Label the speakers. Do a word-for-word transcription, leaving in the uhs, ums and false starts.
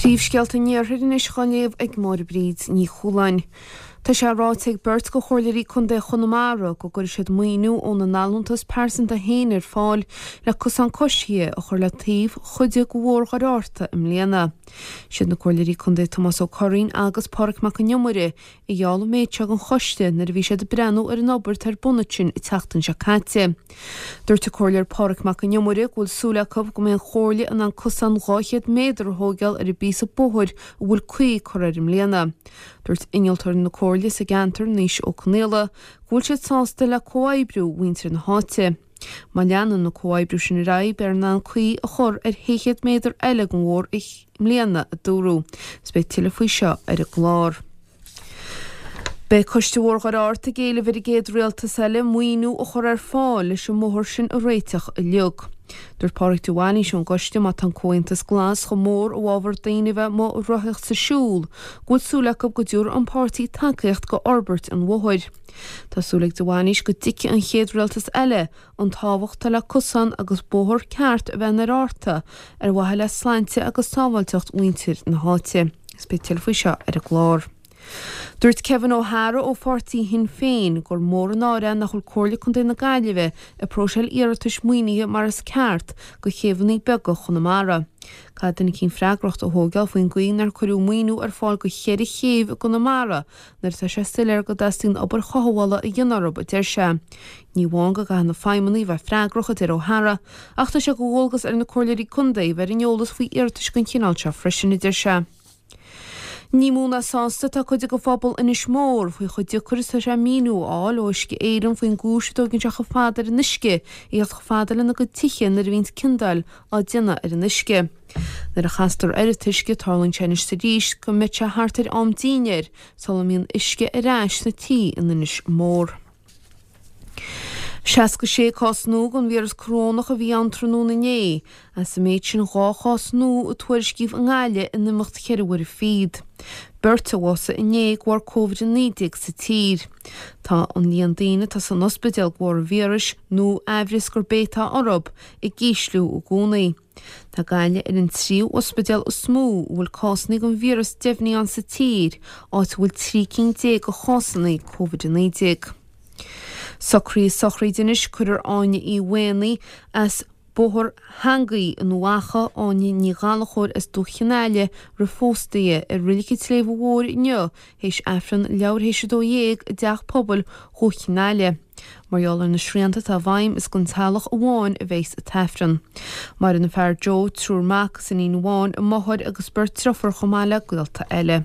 Speaker 1: Príomhscéalta an Iarthair anois á léamh ag Máire Bríd Ní Chualáin. Tá sé ráite ag beirt de chomhairleoirí Contae Chonamara go gcuirfidh siad maoiniú óna n-allúntas pearsanta féin ar fáil le cosán coisithe a chur le taobh chuid de Bhóthar Dhoire Fhearta i mbliana. Siad na comhairleoirí Contae Tomás Ó Curraoin agus Pádraig Mac an Iomaire a gheall an méid seo don choiste nuair a bhí siad ag breathnú ar an obair atá ar bun ansin an tseachtain seo caite. Dúirt an comhairleoir Pádraig Mac an Iomaire go bhfuil súil acu go mbeidh an chomhairle in ann cosán dhá chéad méadar a thógáil ar an bpíosa bóthair a bhfuil caoi curtha air i mbliana. Dúirt innealtóir na comhairle sa gceantar Naoise Ó Conaola go bhfuil siad sásta le comhoibriú mhuintir na háite. Má leanann an comhoibriú sin ar aghaidh beifear in ann caoi a chur ar shé chéad méadar eile den bhóthar i mbliana, a dúradh. Is beidh tuilleadh faoi seo ar an gclár. Beidh Coiste Bhóthar Dhoire Fhearta ag éileamh ar an gcéad rialtas eile maoiniú a chur ar fáil leis an mbóthar sin a réiteach uilig. Dúirt Pádraig de Bhailís ón gcoiste má tá an Comhaontas Glas chomh mór i bhfabhar daoine a bheith amuigh ag rothaíocht 's ag siúl, go bhfuil súil acu go dtabharfaidh an páirtí tacaíocht go fhorbairt an bhóthair. Tá súil ag de Bhailís go dtuigfidh an chéad rialtas eile an tábhacht atá le cosán agus bóthar ceart a bheith i nDoire Fhearta ar mhaithe le sláinte agus sábháilteacht mhuintir na háite. Is beidh tuilleadh faoi seo ar an gclár. Dúirt Kevin O'Hara ó pháirtí Shinn Féin gur mór an náire nach bhfuil Comhairle Contae na Gaillimhe ag próiseáil iarratais maoinithe mar is ceart do chéibheanna beaga Chonamara. Caithfidh duine eicínt freagracht a thógáil faoin gcaoi nár cuireadh maoiniú ar fáil do cheithre chéibh i gConamara nuair atá sé soiléir go dteastaíonn obair chothabhála a dhéanamh orthu, a deir sé. Ní amháin go gcaithfidh na feidhmeannaigh a bheith freagrach, a deir O'Hara, ach tá sé de dhualgas ar na comhairleoirí contae a bheith ar an eolas faoi iarratais den chineál seo freisin, a deir sé. Ní mó ná sásta atá cuid de phobal Inis Mór faoi chomh deacair is atá sé míniú a fháil ó Uisce Éireann faoin gcúis a dtógann sé chomh fada ar an uisce a theacht chomh fada lena gcuid tithe nuair a bhíonns ciondáil á déanamh ar an uisce. Nuair a chastar ar an t-uisce tarlaíonn sé anois is arís go mbeidh sé thart ar am dinnéir sula mbíonn uisce ar ais sna tithe in Inis Mór. seasca sé cás nua den víreas corónach a bhí ann tráthnóna inné. As an méid sin dhá chás nua a tuairiscíodh i nGaillimh in imeacht cheithre huaire fichead. Beirt a bhásaigh inné de bharr Covid a naoi déag sa tír. Tá an líon daoine atá san ospidéal de bharr an víris nó aimhreas gurb é atá orthu ag ísliú i gcónaí. Tá Gaillimh ar an tríú ospidéal is mó a bhfuil cásanna den víreas deimhnithe ann sa tír, áit a bhfuil trí cinn déag de chásanna Covid a naoi déag. Socruithe sochraide anois, cuirfear Áine Uí Mhaonaigh as Bóthar Theangaí in Uíbh Eachach, Áine Ní Ghallchóir as Dumhaigh Chionn Aile roimh phósta í i Reilig an tSléibhe Mhóir inniu théis Aifreann leathuair théis a dó dhéag i dTeach Pobail Dhumhaigh Chionn Aile. Mar gheall ar na srianta atá i bhfeidhm is don teaghlach amháin a bheas an tAifreann. Maireann a fear Joe, triúr mac is iníon amháin, a máthair agus beirt driofúr chomh maith le gaolta eile.